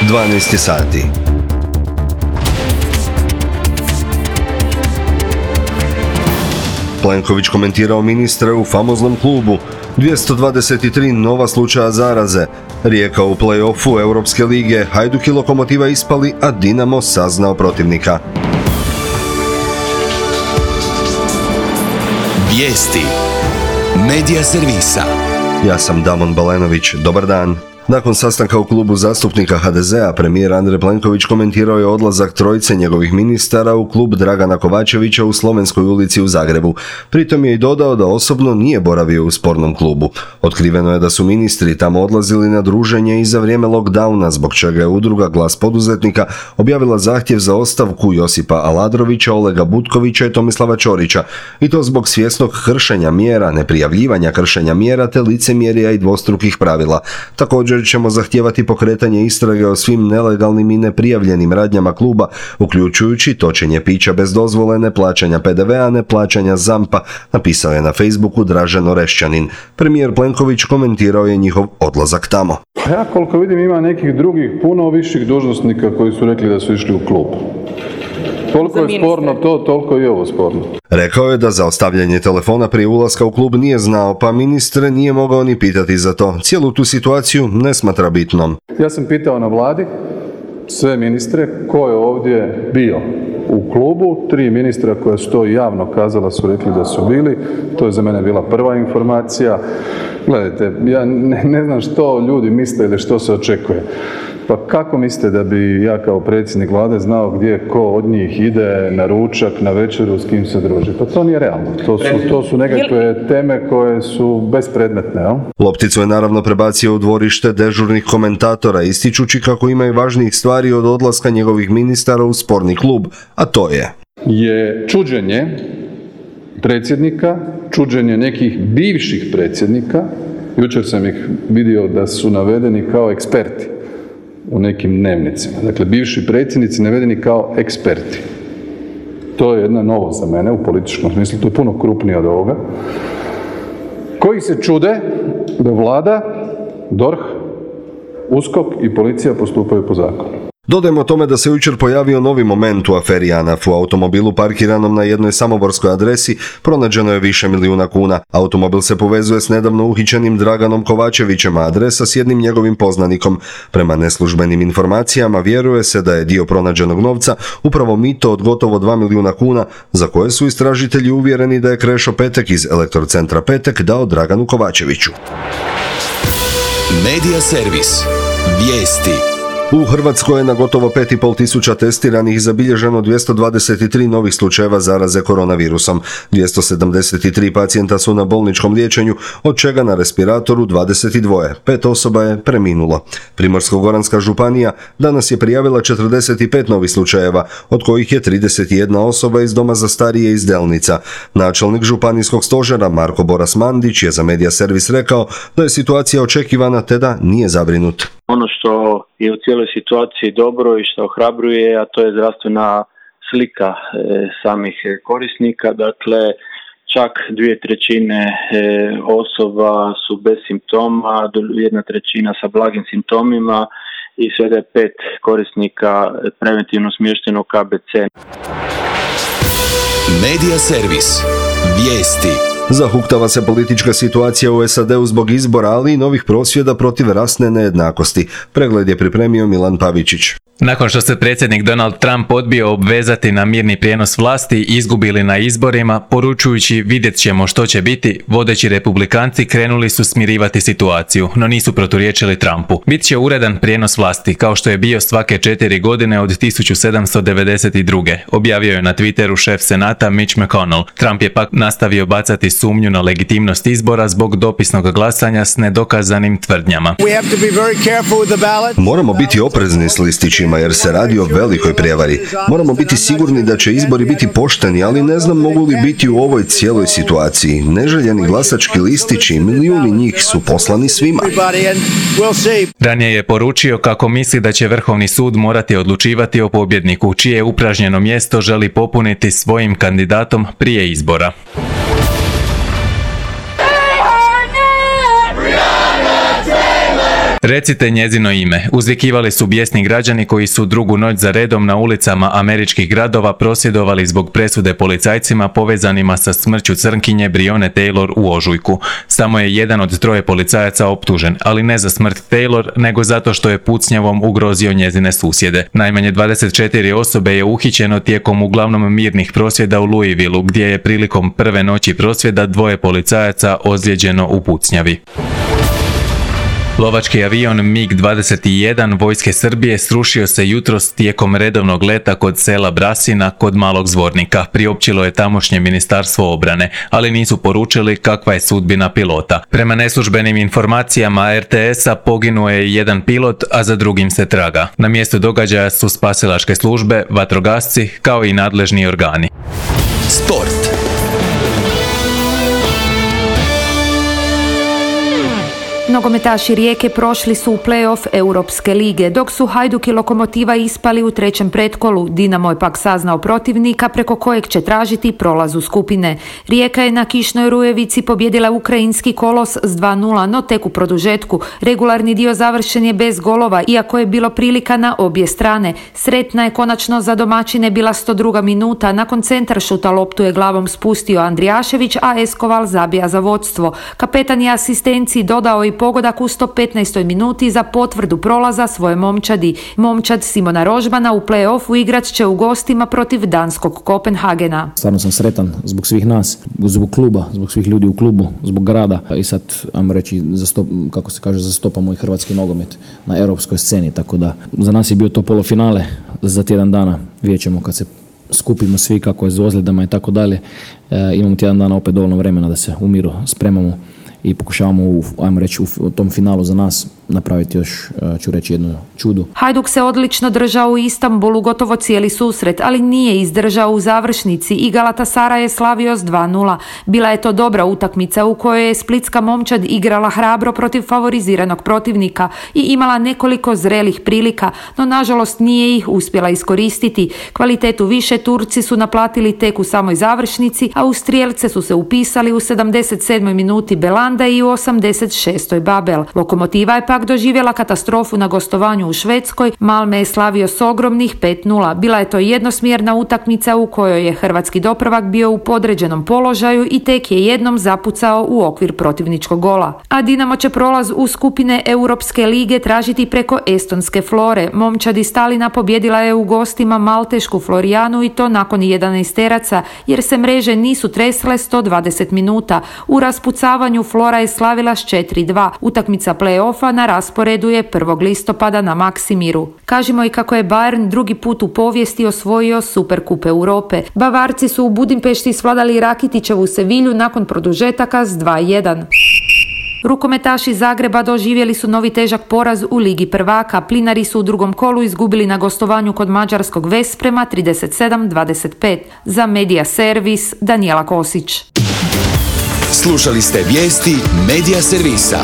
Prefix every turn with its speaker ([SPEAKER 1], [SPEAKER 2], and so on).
[SPEAKER 1] 12 sati. Plenković komentirao ministre u famoznom klubu. 223 nova slučaja zaraze. Rijeka u play-offu Europske lige. Hajduk i Lokomotiva ispali, a Dinamo saznao protivnika.
[SPEAKER 2] Vijesti Medija servisa.
[SPEAKER 1] Ja sam Damon Balenović. Dobar dan. Nakon sastanka u klubu zastupnika HDZ-a, premijer Andrej Plenković komentirao je odlazak trojice njegovih ministara u klub Dragana Kovačevića u Slovenskoj ulici u Zagrebu. Pritom je i dodao da osobno nije boravio u spornom klubu. Otkriveno je da su ministri tamo odlazili na druženje i za vrijeme lockdowna, zbog čega je udruga Glas poduzetnika objavila zahtjev za ostavku Josipa Aladrovića, Olega Butkovića i Tomislava Ćorića. I to zbog svjesnog kršenja mjera, neprijavljivanja kršenja mjera te licemjerja i dvostrukih pravila. Također ćemo zahtijevati pokretanje istrage o svim nelegalnim i neprijavljenim radnjama kluba, uključujući točenje pića bez dozvole, neplaćanja PDV-a, neplaćanja ZAMP-a, napisao je na Facebooku Dražen Orešćanin. Premijer Plenković komentirao je njihov odlazak tamo.
[SPEAKER 3] Ja koliko vidim ima nekih drugih puno viših dužnosnika koji su rekli da su išli u klub. Toliko je sporno to, toliko je ovo sporno.
[SPEAKER 1] Rekao je da za ostavljanje telefona prije ulaska u klub nije znao, pa ministre nije mogao ni pitati za to. Cijelu tu situaciju ne smatra bitnom.
[SPEAKER 3] Ja sam pitao na vladi sve ministre ko je ovdje bio u klubu. 3 ministra koja su to javno kazala su rekli da su bili. To je za mene bila prva informacija. Gledajte, ja ne znam što ljudi misle ili što se očekuje. Pa kako mislite da bi ja kao predsjednik vlade znao gdje ko od njih ide na ručak, na večeru, s kim se druži? Pa to nije realno. To su nekakve teme koje su bespredmetne. Jel?
[SPEAKER 1] Lopticu je naravno prebacio u dvorište dežurnih komentatora, ističući kako ima i važnijih stvari od odlaska njegovih ministara u sporni klub, a to je
[SPEAKER 3] čuđenje predsjednika, čuđenje nekih bivših predsjednika. Jučer sam ih vidio da su navedeni kao eksperti u nekim dnevnicima. Dakle, bivši predsjednici navedeni kao eksperti. To je jedna novost za mene u političkom smislu, to je puno krupnije od ovoga. Koji se čude da vlada, DORH, USKOK i policija postupaju po zakonu.
[SPEAKER 1] Dodajmo tome da se jučer pojavio novi moment u aferi JANAF. U automobilu parkiranom na jednoj samoborskoj adresi pronađeno je više milijuna kuna. Automobil se povezuje s nedavno uhićenim Draganom Kovačevićem, a adresa s jednim njegovim poznanikom. Prema neslužbenim informacijama vjeruje se da je dio pronađenog novca upravo mito od gotovo 2 milijuna kuna, za koje su istražitelji uvjereni da je Krešo Petek iz Elektrocentra Petek dao Draganu Kovačeviću.
[SPEAKER 2] Medija servis. Vijesti.
[SPEAKER 1] U Hrvatskoj je na gotovo 5.500 testiranih zabilježeno 223 novih slučajeva zaraze koronavirusom. 273 pacijenta su na bolničkom liječenju, od čega na respiratoru 22. 5 osoba je preminulo. Primorsko-goranska županija danas je prijavila 45 novih slučajeva, od kojih je 31 osoba iz doma za starije iz Delnica. Načelnik županijskog stožera Marko Boras Mandić je za Medija servis rekao da je situacija očekivana te da nije zabrinut.
[SPEAKER 4] Ono što je u cijeloj situaciji dobro i što ohrabruje, a to je zdravstvena slika samih korisnika. Dakle, čak 2/3 osoba su bez simptoma, 1/3 sa blagim simptomima i svega je 5 korisnika preventivno smješteno u KBC.
[SPEAKER 2] Medija servis. Vijesti.
[SPEAKER 1] Zahuktava se politička situacija u SAD-u zbog izbora, ali i novih prosvjeda protiv rasne nejednakosti. Pregled je pripremio Milan Pavičić.
[SPEAKER 5] Nakon što se predsjednik Donald Trump odbio obvezati na mirni prijenos vlasti, izgubili na izborima, poručujući vidjet ćemo što će biti, vodeći republikanci krenuli su smirivati situaciju, no nisu proturječili Trumpu. Bit će uredan prijenos vlasti, kao što je bio svake 4 godine od 1792. Objavio je na Twitteru šef Senata Mitch McConnell. Trump je pak nastavio bacati sumnju na legitimnost izbora zbog dopisnog glasanja s nedokazanim tvrdnjama.
[SPEAKER 1] Moramo biti oprezni s listićima jer se radi o velikoj prijevari. Moramo biti sigurni da će izbori biti pošteni, ali ne znam mogu li biti u ovoj cijeloj situaciji. Neželjeni glasački listići, milijuni njih su poslani svima.
[SPEAKER 5] Ranije je poručio kako misli da će Vrhovni sud morati odlučivati o pobjedniku, čije upražnjeno mjesto želi popuniti svojim kandidatom prije izbora. Recite njezino ime. Uzvikivali su bijesni građani koji su drugu noć za redom na ulicama američkih gradova prosvjedovali zbog presude policajcima povezanima sa smrću crnkinje Breonna Taylor u ožujku. Samo je jedan od 3 policajaca optužen, ali ne za smrt Taylor, nego zato što je pucnjavom ugrozio njezine susjede. Najmanje 24 osobe je uhićeno tijekom uglavnom mirnih prosvjeda u Louisvilleu, gdje je prilikom prve noći prosvjeda 2 policajaca ozlijeđeno u pucnjavi. Lovački avion MiG-21 vojske Srbije srušio se jutros tijekom redovnog leta kod sela Brasina kod Malog Zvornika, priopćilo je tamošnje ministarstvo obrane, ali nisu poručili kakva je sudbina pilota. Prema neslužbenim informacijama RTS-a poginuo je jedan pilot, a za drugim se traga. Na mjestu događaja su spasilačke službe, vatrogasci kao i nadležni organi.
[SPEAKER 2] Sport.
[SPEAKER 6] Nogometaši Rijeke prošli su u play-off Europske lige, dok su Hajduk i Lokomotiva ispali u 3. pretkolu. Dinamo je pak saznao protivnika preko kojeg će tražiti prolaz u skupine. Rijeka je na kišnoj Rujevici pobjedila ukrajinski Kolos s 2:0, no tek u produžetku. Regularni dio završen je bez golova, iako je bilo prilika na obje strane. Sretna je konačno za domaćine bila 102. minuta. Nakon centaršuta loptu je glavom spustio Andrijašević, a Eskoval zabija za vodstvo. Kapetan je asistenciji dodao i pogodak u 115. minuti za potvrdu prolaza svoje momčadi. Momčad Simona Rožbana u play-offu igrat će u gostima protiv danskog Kopenhagena.
[SPEAKER 7] Stvarno sam sretan zbog svih nas, zbog kluba, zbog svih ljudi u klubu, zbog grada i sad, ajmo reći, zastopamo i hrvatski nogomet na europskoj sceni, tako da za nas je bio to polufinale za tjedan dana. Vidjet ćemo kad se skupimo svi kako je s ozljedama i tako dalje. Imamo tjedan dana opet dovoljno vremena da se u miru spremamo i pokušavamo u tom finalu za nas napraviti još, ću reći, jednu čudu.
[SPEAKER 6] Hajduk se odlično držao u Istanbulu gotovo cijeli susret, ali nije izdržao u završnici i Galatasaray je slavio s 2:0. Bila je to dobra utakmica u kojoj je splitska momčad igrala hrabro protiv favoriziranog protivnika i imala nekoliko zrelih prilika, no nažalost nije ih uspjela iskoristiti. Kvalitetu više Turci su naplatili tek u samoj završnici, a u strijelce su se upisali u 77. minuti Belanda i u 86. Babel. Lokomotiva je pak doživjela katastrofu na gostovanju u Švedskoj. Malme je slavio s ogromnih 5:0. Bila je to jednosmjerna utakmica u kojoj je hrvatski dopravak bio u podređenom položaju i tek je jednom zapucao u okvir protivničkog gola. A Dinamo će prolaz u skupine Europske lige tražiti preko estonske Flore. Momčadi Stalina pobjedila je u gostima maltešku Florijanu i to nakon 11 teraca, jer se mreže nisu tresle 120 minuta. U raspucavanju Flora je slavila s 4:2. Utakmica play-offa na rasporedu je 1. listopada na Maksimiru. Kažimo i kako je Bayern drugi put u povijesti osvojio Superkup Europe. Bavarci su u Budimpešti svladali Rakitićevu Sevilju nakon produžetaka s 2:1. Rukometaši Zagreba doživjeli su novi težak poraz u Ligi prvaka. Plinari su u drugom kolu izgubili na gostovanju kod mađarskog Vesprema 37-25. Za Medija Servis, Danijela Kosić.
[SPEAKER 2] Slušali ste vijesti Medija Servisa.